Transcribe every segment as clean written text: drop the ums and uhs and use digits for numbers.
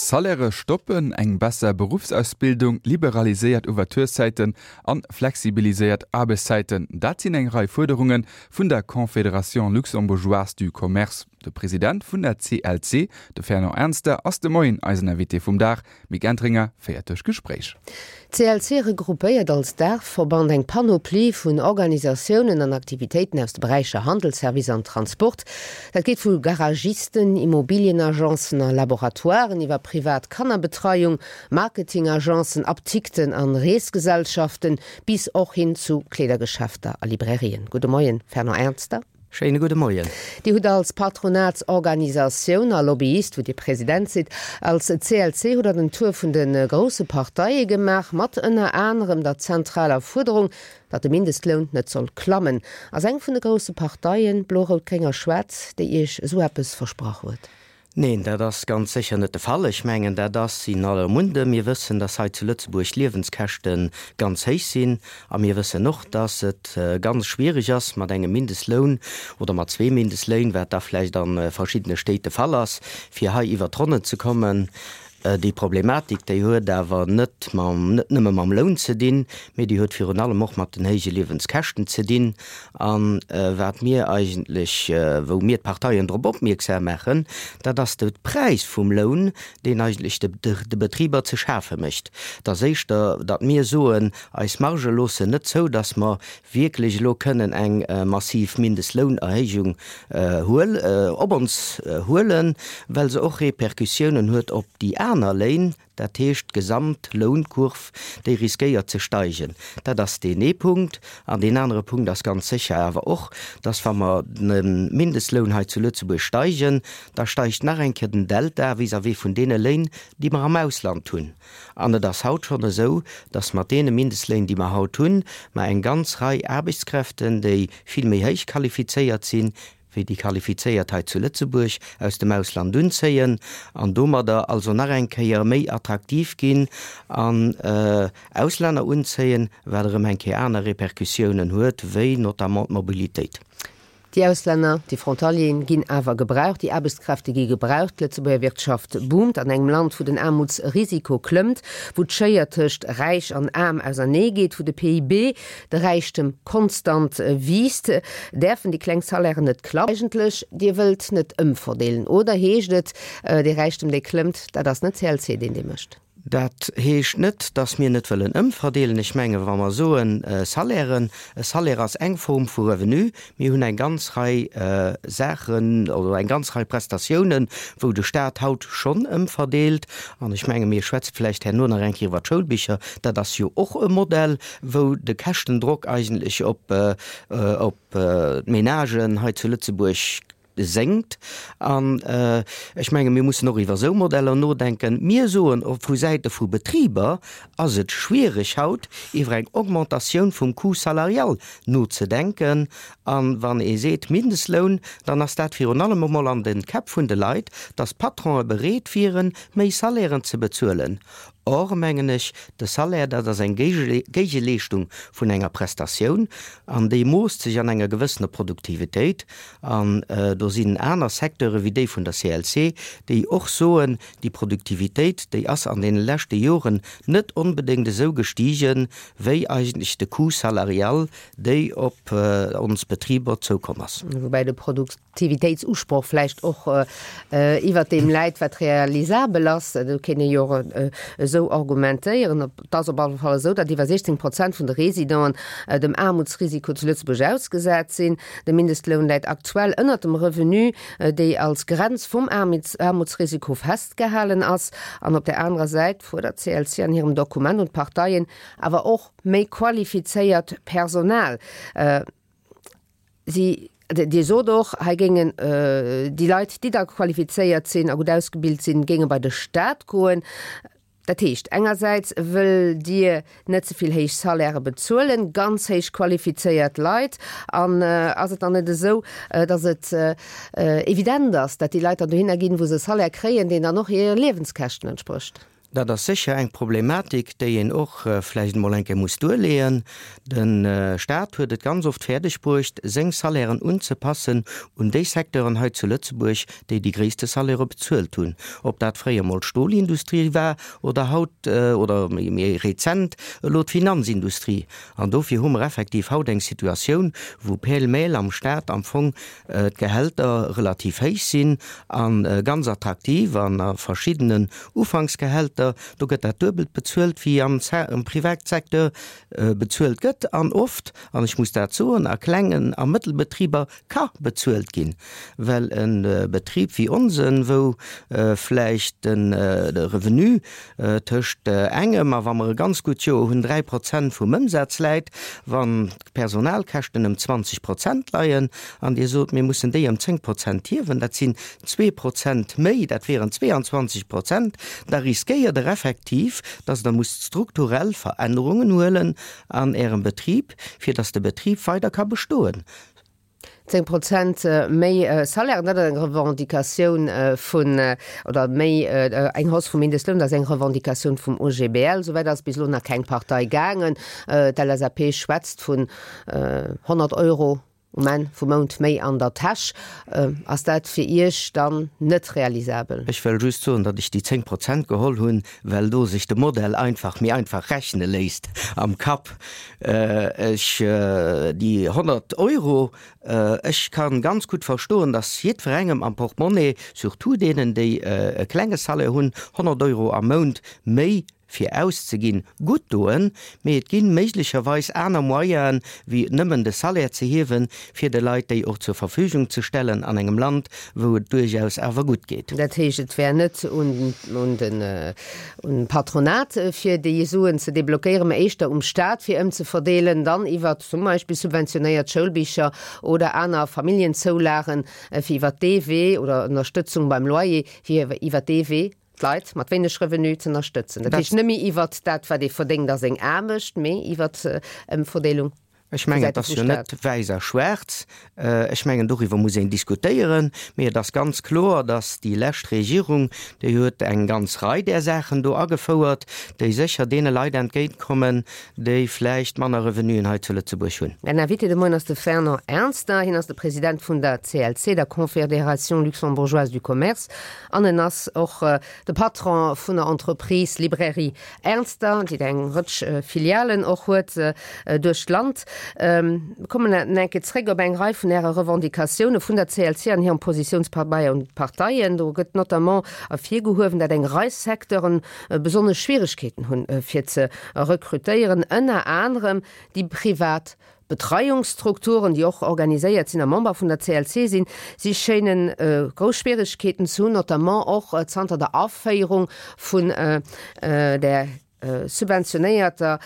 Salairë stoppen, eng besser Beruffsausbildung, liberaliséiert Ouvertureszäiten an flexibiliséiert Aarbechtszäiten, dat sinn eng Rei Fuerderunge vun der Confédération luxembourgeoise du commerce. De President vun der CLC, de Fernand Ernster, ass de Moien eisen Invité vum Dag. D'Mick Entringer féiert duerch d'Gespréich. D'CLC regroupéiert als Daachverband eng Panoplie vun Organisatiounen an Aktivitéiten aus de Beräicher Handel, Service an Transport. Dat geet vu Garagisten, Immobilienagencen a Laboratoiren iwwer privat Kannerbetreiung, Marketingagencen, Aptikten an Reesgesellschaften bis och hin zu Kleedergeschäfter a Librairien. Gudde Moien, Fernand Ernster. Schéine gudde Moien. Dir hutt als Patronatsorganisatioun a Lobbyist, wou Dir President sidd, als CLC hutt Der den Tour vun de grousse Parteie gemaach, mat ënner anerem der zentraler Fuerderung, datt de Mindestloun net soll klammen. Ass eng vun de grousse Parteien, Blo, Rout, Gréng a Schwaarz, déi Iech esou eppes versprach huet? Neen, dat ass ganz sécher net de Fall. Ech mengen, dat ass in aller Munde. Mir wëssen, dass hei zu Lëtzebuerg d'Liewenskäschte ganz héich sinn. A mir wëssen och, dass et ganz schwierig ass, mat engem Mindestloun oder mat zwee Mindestléin, wat da vläicht a verschiddene Stéit de Fall ass, fir hei iwwert d'Ronnen ze kommen. Déi Problematik, déi huet awer net mam, net nëmme mam Loun ze dinn, mee déi huet virun allem och mat den héije Liewenskäschten ze dinn. A wat mir eigentlech, wou mir d'Parteien drop opmierksam maachen, dat ass de Präis vum Loun, deen eigentlech de, de Betriber ze schafe mécht. Et ass éischter, datt mir soen, eis Margë loossen net zou, datt mer wierklech elo kënnen eng massiv Mindestlounerhéijung huel, op ons huelen, well se och Repercussiounen huet op déi aner Léin, dat heescht d'gesamt Lounkurv, déi riskéiert ze steigen. Dat ass deen ee Punkt. An deen anere Punkt ass ganz sécher awer och, dass wa mer de Mindestloun hei zu Lëtzebuerg steigen, da steigt nach eng Kéier den Delta vis-à-vis vun deene Léin, déi mer am Ausland hunn. An et ass haut schonn esou, dass mat deene Mindestléin, déi mer haut hunn, mer eng ganz Rei Aarbechtskräften, déi vill méi héich qualifizéiert sinn, wéi déi Qualifizéiert hei zu Lëtzebuerg, aus dem Ausland unzéien an domadder also nach eng Kéier méi attraktiv ginn an Auslänner unzéien, wat erëm eng Kéier aner Répercussiounen huet, wéi notamment d'Mobilitéit. Déi Auslänner, déi Frontalieren ginn awer gebraucht, déi Aarbechtskräfte gi gebraucht. D'Lëtzebuerger Wirtschaft boomt an engem Land, wou den Aarmutsrisiko klëmmt, wou d'Schéier tëscht Räich an Aarm ausernee geet, wou de PIB, de Räichtem, konstant wiisst. Däerfen déi kleng Salairen net klammen? Eigentlech, Dir wëllt net ëmverdeelen, oder heescht et, dee Räichtem, dee klëmmt, dat ass net CLC, deen dee mécht? Dat heescht net, dass mir net wëllen ëmverdeelen. Ech mengen, wa mer soen Salairen, e Salaire ass eng Form vu Revenu. Mir hunn eng ganz Rei Saachen oder eng ganz Rei Prestatiounen, wou de Stat haut schonn ëmverdeelt. An ech menge mir schwätze vläicht herno nach eng Kéier iwwer d'Schoulbicher. Dat ass jo och e Modell, wou de Käschtendrock eigentlech op d'Menagen hei zu Lëtzebuerg sénkt. An ech menge mir mussen och iwwer esou Modeller nodenken. Mir soen, och vu Säite vu Betriber ass et schwierig haut iwwer eng Augmentatioun vum Coût salarial nozedenken. A wann ee seet Mindestloun, dann ass dat virun allem emol an de Käpp vun de Leit, datt d'Patronë bereet wieren, méi Salairen ze bezuelen. Or, mengen ech, de Salaire, dat ass eng Géigeleeschtung vun enger Prestatioun an déi moosst sech an enger gewëssener Produktivitéit. An do sinn aner Secteure wéi déi vun der CLC, déi och soen, déi Produktivitéit, déi ass an deene leschte Joren net onbedéngt esou gestigen, wéi eigentlech de Coût salarial, déi op ons Betriber zoukomm ass. Woubäi de Produktivitéitsusproch vläicht och iwwert deem läit, wat realisabel ass. Do kéint ee jo och esou argumentéieren. Et ass op alle Fall esou, datt iwwer 16 Prozent vun de Residenten dem Aarmutsrisiko zu Lëtzebuerg ausgesat sinn. De Mindestloun läit aktuell ënnert dem Revenu, déi als Grenz vum Aarmutsrisiko festgehalen ass. An op där anerer Säit fuerdert d'CLC an hirem Dokument un d'Parteien awer och méi qualifizéiert Personal. Si, Dir sot och, hei géingen déi Leit, déi da qualifizéiert sinn a gutt ausgebilt sinn, géinge bei de Staat goen. Dat heescht, engersäits wëllt Dir net ze vill héich Salairë bezuelen, ganz héich qualifizéiert Leit. An ass et dann net esou, datt et evident ass, datt déi Leit dann dohinner ginn, wou se e Salaire kréien, deen dann och hire Liewenskäschten entsprécht? Dat ass sécher eng Problematik, déi een och vläicht emol eng Kéier muss duerleeën. De Stat huet et ganz oft fäerdeg bruecht, seng Salairen unzepassen un déi Secteuren hei zu Lëtzebuerg, déi déi gréisste Salairë bezuelt hunn. Ob dat fréier emol d'Stolindustrie war oder haut oder méi rezent elo d'Finanzindustrie. An dofir hu mer effektiv haut eng Situatioun, wou pêle-mêle am Stat am Fong d'Gehälter relativ héich sinn a ganz attraktiv an a verschiddenen Ufanksgehälter, do gëtt dat Duebelt bezuelt wéi am Privatsecteur bezuelt gëtt an oft, an ech muss dat soen, a klengen a Mëttelbetriber ka bezuelt ginn, well e Betrib wéi onsen, wou vläicht de Revenu tëscht engem a, wa mer e ganz gutt Joer hunn, 3 Prozent vum Ëmsaz läit, wann d'Personalkäschten ëm 20 Prozent leien an Dir sot, mir mussen déi ëm 10 Prozent hiewen, dat sinn 2 Prozent méi, dat wieren 22 Prozent, da riskéiert Der effektiv, dass Der musst strukturell Verännerungen huelen an Ärem Betrib, fir dass de Betrib weider ka bestoen. 10 Prozent méi Salaire, dat ass eng Revendicatioun vun, oder méi eng Hausse vum Mindestloun, dat ass eng Revendicatioun vum OGBL. Souwäit ass bis elo nach keng Partei gaangen. D'LSAP schwätzt vun 100 Euro um Enn vum Mount méi an der Täsch. Ass dat fir Iech dann net realisabel? Ech wëll just soen, datt ech déi 10 Prozent geholl hunn, well do sech de Modell einfach méi einfach rechne léisst am Kapp. Ech, déi 100 Euro, ech ka ganz gutt verstoen, datt jiddwerengem am Portemonnaie, surtout deenen, déi e klenge Salaire hunn, 100 Euro am Mount méi fir auszeginn, gutt doen, mee et gi méiglecherweis aner Moyenen, wéi nëmmen de Salaire ze hiewen, fir de Leit déi och zur Verfügung ze stellen an engem Land, wou et duerchaus awer gutt geet. Dat heescht, et wär net un un Patronat, fir déi Suen ze deblockéieren, mä éischter um Staat, fir ëmzeverdeelen, dann iwwer zum Beispill subventionéiert Schoulbicher oder aner Familljenzoulagen, fir iwwer dee Wee, oder Ënnerstëtzung beim Loyer, fir iwwer dee Wee d'Leit mat wéineg Revenu z'ënnerstëtzen. Dat heescht net méi iwwer dat, wat ee verdéngt a seng Aarbecht, mee iwwer Ëmverdeelung. Ech mengen, et ass jo net wäiss a schwaarz. Ech mengen, doriwwer muss een diskutéieren. Mee et ass ganz kloer, datt déi lescht Regierung, déi huet eng ganz Rei där Saachen do agefouert, déi sécher deene Leit entgéintkommen, déi vläicht manner Revenuen hei zu Lëtzebuerg hunn. Mäin Invité de Moien ass de Fernand Ernster. Hien ass de President vun der CLC, der Confédération luxembourgeoise du commerce, an en ass och de Patron vun der Entreprise Librairie Ernster, déi eng Rëtsch Filialen och huet duerch d'Land. Mir kommen nach eng Kéier zréck op eng Rei vun Äre Revendicatioune vun der CLC an hirem Positiounspabeier un d'Parteien. Do gëtt notamment ervirgehuewen, dat eng Rei Secteuren besonnesch Schwieregkeeten hunn, fir ze rekrutéieren, ënner anerem déi privat Betreiungsstrukturen, déi och organiséiert sinn a Member vun der CLC sinn, si schéinen grouss Schwieregkeeten ze hunn, notamment och zanter der Aféierung vun der subventionéierter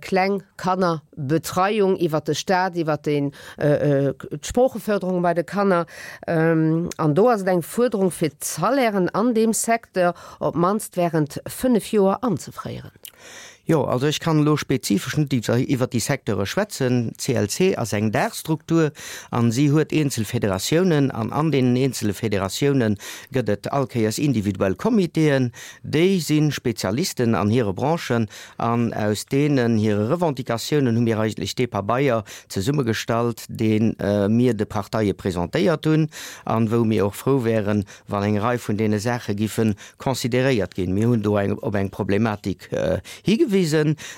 Klengkannerbetreiung iwwert de Staat, iwwert d'Sproocheförderung bei de Kanner. An do ass et eng Fuerderung, fir d'Salairen an deem Secteur op d'mannst während 5 Joer anzefréieren. Jo, also ech kann elo spezifesch net iwwert déi Secteure schwätzen. D'CLC ass eng Daachstruktur an si huet eenzel Federatiounen an an deenen eenzele Federatioune gëtt et all Kéiers individuell Comitéen. Déi si Spezialisten an hire Branchen an aus deenen hire Revendicatiounen hu mir eigentlech dee Pabeier zesummegestallt, dee mir de Parteie presentéiert hunn an wou mir och frou wären, wann eng Rei vun deene Saache giffe consideréiert ginn. Mir hunn do eng op eng Problematik higewisen,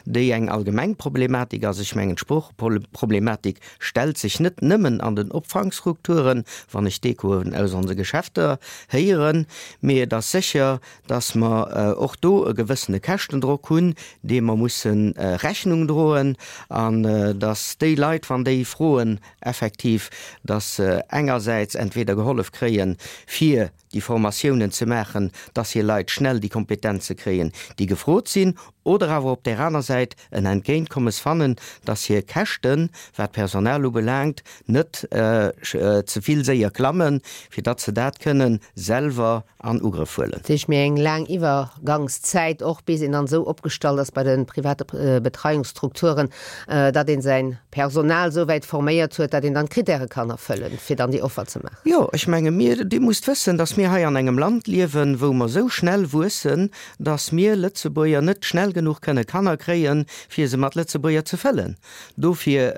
déi eng allgemeng Problematik ass. Ech mengen, d'Sproocheproblematik stellt sech net nëmmen an den Opfangstrukturen, wann ech d'Echoen aus onse Geschäfter héieren, mee et ass sécher, dass mer och do e gewëssene Käschtendrock hunn, deem mer musse Rechnung droen, an dass déi Leit, wann déi froen effektiv, dass se engersäits entweder gehollef kréien, fir déi Formatiounen ze maachen, dass hir Leit schnell déi Kompetenze kréien, déi gefrot sinn, oder awer op där aner Säit en Entgéintkommes fannen, dass hir Käschten, wat d'Personal ubelaangt, net ze vill séier klammen, fir datt se dat kënnen selwer an Ugrëff huelen. Dat heescht, méi eng laang Iwwergangszäit och, bis een dann esou opgestallt ass bei de private Betreiungsstrukturen, datt een säin Personal esou wäit forméiert huet, datt een dann d'Kritäre kann erfëllen, fir dann déi Offer ze maachen. Jo, ech menge mir, Dir musst wëssen, datt mir. mir hei an engem Land liewen, wou mer esou schnell wuessen, dass mir Lëtzebuerger net schnell genuch kënne Kanner kréien, fir se mat Lëtzebuerger ze fëllen. Dofir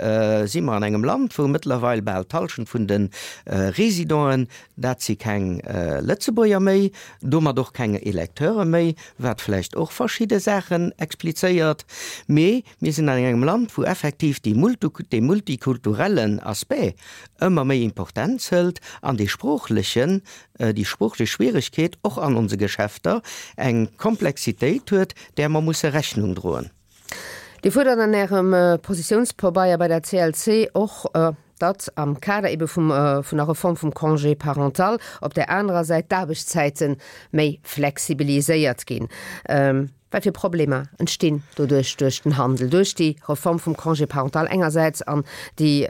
si mer an engem Land, wou mëttlerweil bal d'Hallschent vun de Résidenten, dat si keng Lëtzebuerger méi, domat och keng Electeure méi, wat vläicht och verschidde Saachen explizéiert. Mee mir sinn an engem Land, wou effektiv dee multikulturellen Aspect ëmmer méi Importenz hëlt an dee sproochlechen, déi sproochlech Schwieregkeet och an onse Geschäfter eng Komplexitéit huet, där mer musse Rechnung droen. Dir fuerdert an Ärem Positiounspabeier bei der CLC och, datt am Kader ebe vum vun der Reform vum Congé parental op där anerer Säit d'Aarbechtszäite méi flexibiliséiert ginn. Wat fir Problemer entstinn doduerch duerch den Handel, duerch déi Reform vum Congé parental engersäits an déi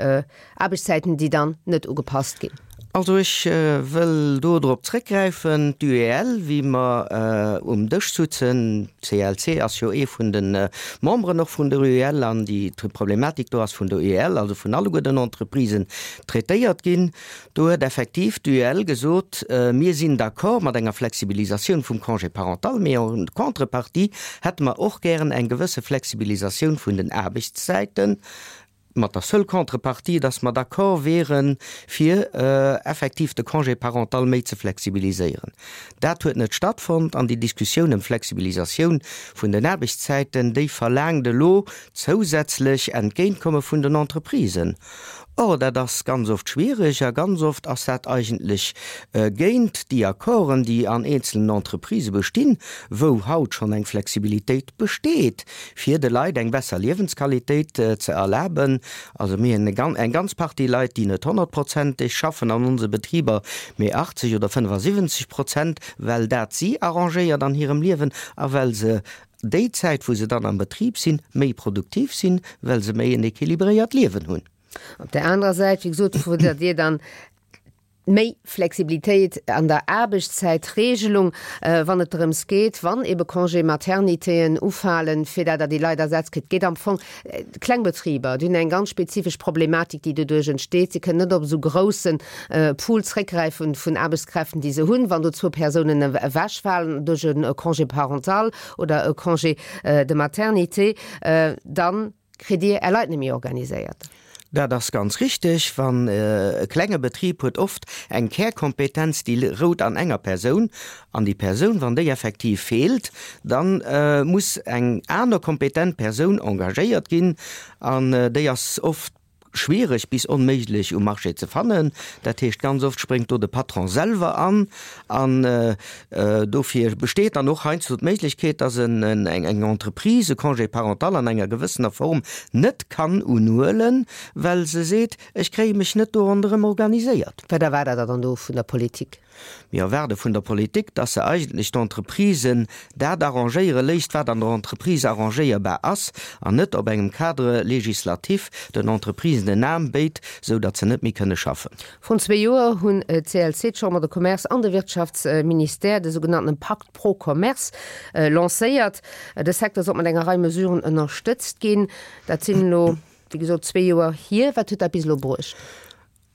Aarbechtszäiten, déi dann net ugepasst ginn? Also ech wëll do drop zréckgräifen, d'UEL, wéi mer um Dësch sutzen, d'CLC ass jo ee vun de Memberen och vun der UEL an déi Problematik do ass vun der UEL, also vun alleguer den Entreprisen, traitéiert ginn. Do huet effektiv d'UEL gesot, Mir sinn d'accord mat enger Flexibilisatioun vum Congé parental, mee en contrepartie hätte mer och gären eng gewësse Flexibilisatioun vun den Aarbechtszäiten, mat der seule Contrepartie, dass mer d'accord wieren, fir effektiv de Congé parental méi ze flexibiliséieren. Dat huet net stattfonnt an déi Diskussioun ëm d'Flexibilisatioun vun den Aarbechtszäiten, déi verlaangt elo zousätzlech Entgéintkomme vun den Entreprisen. Or, dat ass ganz oft schwierig a ganz oft ass dat eigentlech géint déi Accorden, déi an eenzelnen Entreprisë bestinn, wou haut schonn eng Flexibilitéit besteet, fir de Leit eng besser Liewensqualitéit ze erlaben. Also mir hunn eng ganz Partie Leit, déi net honnertprozenteg schaffen an onse Betriber, mee 80 oder 75 Prozent, well dat si arrangéiert an hirem Liewen a well se déi Zäit, wou se dann am Betrib sinn, méi produktiv sinn, well se méi en équilibréiert Liewen hunn. Op där anerer Säit, wéi gesot, fuerdert Dir dann méi Flexibilitéit an der Aarbechtszäitregelung, wann et drëms geet, wann ebe Congé maternitéen ufalen, fir dat Der déi Leit ersetzt kritt. Et geet am Fong, kleng Betriber, déi hunn eng ganz spezifesch Problematik, déi doduerch entsteet. Si kënnen net op esou grousse Pool zréckgräifen vun Aarbechtskräften, déi se hunn. Wann do zwou Persounen ewechfalen duerch e Congé parental oder e Congé de maternité, dann kritt Dir Är Leit net méi organiséiert. Dat ass ganz richteg. Wann e klenge Betrib huet oft eng Kärkompetenz, déi rout an enger Persoun. An déi Persoun, wann déi effektiv feelt, da muss eng aner kompetent Persoun engagéiert ginn. An déi ass oft schwiereg bis onméiglech um Marché ze fannen. Dat heescht, ganz oft spréngt do de Patron selwer an. An dofir besteet dann och heiansdo d'Méiglechkeet, dass eng Entreprise e Congé parental an enger gewëssener Form net kann unhuelen, well se seet, ech kréie mech net do ronderëm organiséiert. Wat erwaart Der dann do vun der Politik? Mir erwaarde vun der Politik, dass se eigentlech d'Entreprisen dat arrangéiere léisst, wat an der Entreprise arrangéierbar ass, an net op engem Cadre législatif den Entreprisen en Aarm béit, sou datt se net méi kënne schaffen. Vrun zwee Joer hunn d'CLC, d'Chambre de Commerce an de Wirtschaftsministère de sougenannten Pakt pro Commerce lancéiert. De Secteur sollt mat enger Rei Mesuren ënnerstëtzt ginn. Dat sinn elo, wéi gesot, zwee Joer hier. Wat huet dat bis elo bruecht?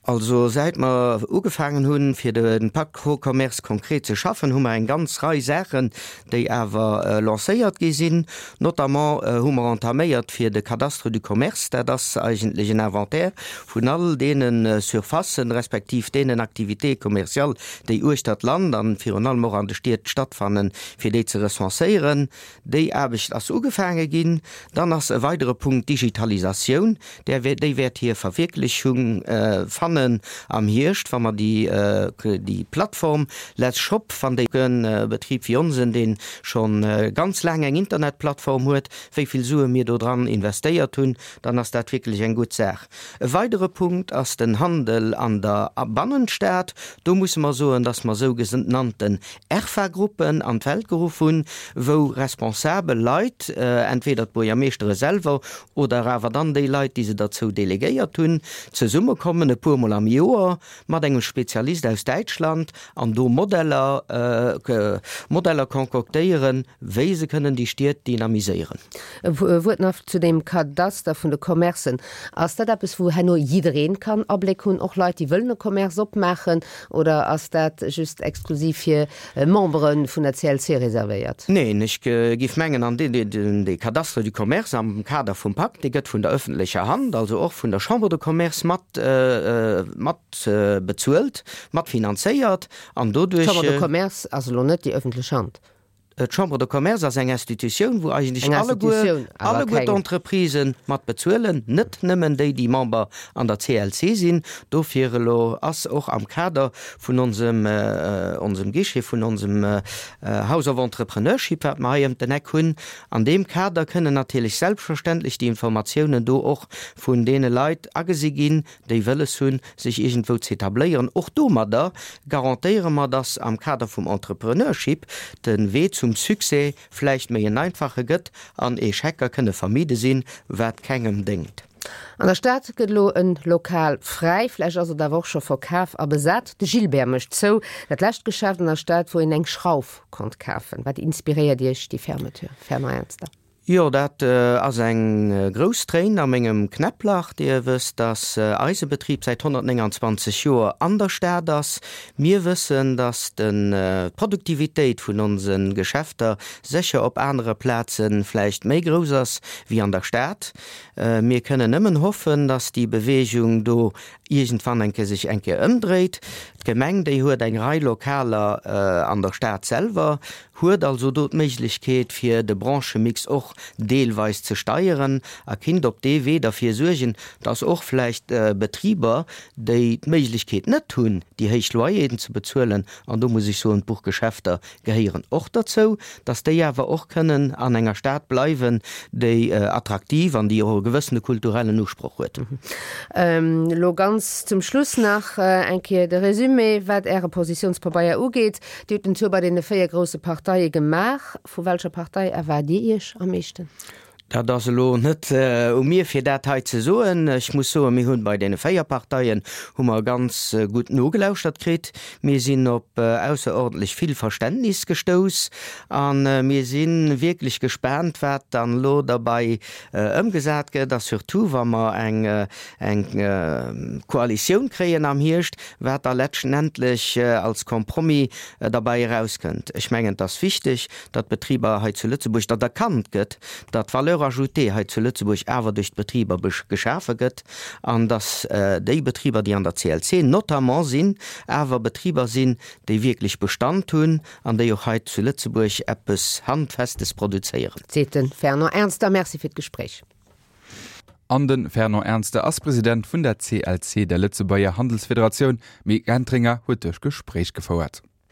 Also säit mer ugefaangen hunn, fir de Pakt pro Commerce konkret ze schaffen, hu mer eng ganz Rei Saachen, déi awer lancéiert gi sinn. Notamment hu mer entaméiert fir de Cadastre du commerce, dat ass eigentlech en Inventaire vun all deene Surfacen, respektiv deenen Activités commerciales, déi uechter d'Land an virun allem och an de Stied stattfannen, fir déi ze recenséieren. Déi Aarbecht ass ugefaange ginn. Dann ass e weidere Punkt d'Digitalisatioun. Där, déi wäert hir Verwierklechung fannen am Hierscht, wa mer déi, déi Plattform Let's Shop, wann déi e Betrib wéi onsen, dee scho ganz laang eng Internetplattform huet, wéi vill Sue mir do dran investéiert hunn, dann ass dat wierklech eng gutt Saach. E weidere Punkt ass den Handel an der Bannenstad. Do musse mer soen, dass mer sougenannten ERFA-Gruppen an d'Welt geruff hunn, wou responsabel Leit, entweder d'Buergermeeschtere selwer oder awer dann déi Leit, déi se derzou delegéiert hunn, zesummekommen e puermol. puermol am Joer mat engem Spezialist aus Däitschland an do Modeller, Modeller concoctéieren, wéi se kënnen déi Stied dynamiséieren. E Wuert nach zu deem Kadaster vun de Commercen. Ass dat eppes, wou herno jiddereen kann Abléck hunn, och Leit, déi wëllen e Commerce opmaachen, oder ass dat just exklusiv fir Membere vun der CLC reservéiert? Neen, ech géif mengen, an dee Cadastre du commerce am Kader vum Pakt, dee gëtt vun der öffentlecher Hand, also och vun der Chambre de Commerce mat, mat bezuelt, mat finanzéiert an doduerch. D'Chambre de Commerce ass elo net déi öffentlech Hand. D'Chambre de Commerce ass eng Institutioun, wou eigentlech alleguer, alleguer d'Entreprisen mat bezuelen, net nëmmen déi, déi Member an der CLC sinn. Dofir elo ass och am Kader vun onsem, onsem Guichet, vun onsem House of Entrepreneurship, wat mer hei ëm den Eck hunn, an deem Kader kënnen natierlech selbstverständlech déi Informatiounen do och vun deene Leit agesi ginn, déi wëlles hunn, sech iergendwou z'etabléieren. Och domadder garantéiere mer, dass am Kader vum Entrepreneurship de Wee zum Succès vläicht méi en einfache gëtt an Echecker kënne vermide sinn, wat kengem déngt. An der Stad gëtt elo en Lokal fräi, vläicht ass et awer och scho verkaf a besat. De Gilbert mécht zou, dat lescht Geschäft an der Stad, wou een eng Schrauf konnt kafen. Wat inspiréiert Iech déi Fermeture, Fernand Ernster? Jo, dat ass eng grouss Tréin a mengem Knäpplach. Dir wësst, dass eise Betrib säit 129 Joer an der Stad ass. Mir wëssen, dass d'Produktivitéit vun onse Geschäfter sécher op anere Plaze vläicht méi grouss ass wéi an der Stad. Mir kënnen nëmmen hoffen, dass déi Beweegung do iergendwann eng Kéier sech eng Kéier ëmdréit. D'Gemeng, déi huet eng Rei Lokaler an der Stad selwer, huet also do d'Méiglechkeet fir de Branchemix och deelweis ze steieren a kinnt op dee Wee derfir suergen, dass och vläicht Betriber, déi d'Méiglechkeet net hunn, déi héich Loyeren ze bezuelen, an do muss ech soen, d'Buchgeschäfter gehéieren och derzou, dass déi awer och kënnen an enger Stad bleiwen, déi attraktiv an déi och e gewëssene kulturellen Usproch huet. Elo ganz zum Schluss nach eng Kéier de Résumé, wat Äre Positiounspabeier ugeet. Dir hutt den Tour bei deene 4 grousse Parteie gemaach. Vu welcher Partei erwaart Dir Iech am meeschten? Dat ass elo net u mir, fir dat hei ze soen. Ech muss soen, mir hunn bei deene 4 Parteien hu mer ganz gutt nogelauschtert kritt. Mir sinn op ausserordentlech vill Verständnis gestouss a mir si wierklech gespaant, wat dann elo derbei ëmgesat gëtt a surtout wa mer eng eng Koalitioun kréien am Hierscht, wat da letztendlech als Compromis derbäi erauskënnt. Ech mengen, et ass wichteg, datt d'Betriber hei zu Lëtzebuerg, datt erkannt gëtt, datt d'Valeur ajoutée hei zu Lëtzebuerg awer duerch d'Betriber geschafe gëtt an datt déi Betriber, déi an der CLC notamment sinn, awer Betriber sinn, déi wierklech Bestand hunn an déi och hei zu Lëtzebuerg eppes Handfestes produzéieren. Seet de Fernand Ernster. Merci fir d'Gespréich. An de Fernand Ernster ass President vun der CLC, der Lëtzebuerger Handelsfederatioun. D'Mick Entringer huet duerch Gespréich gefouert.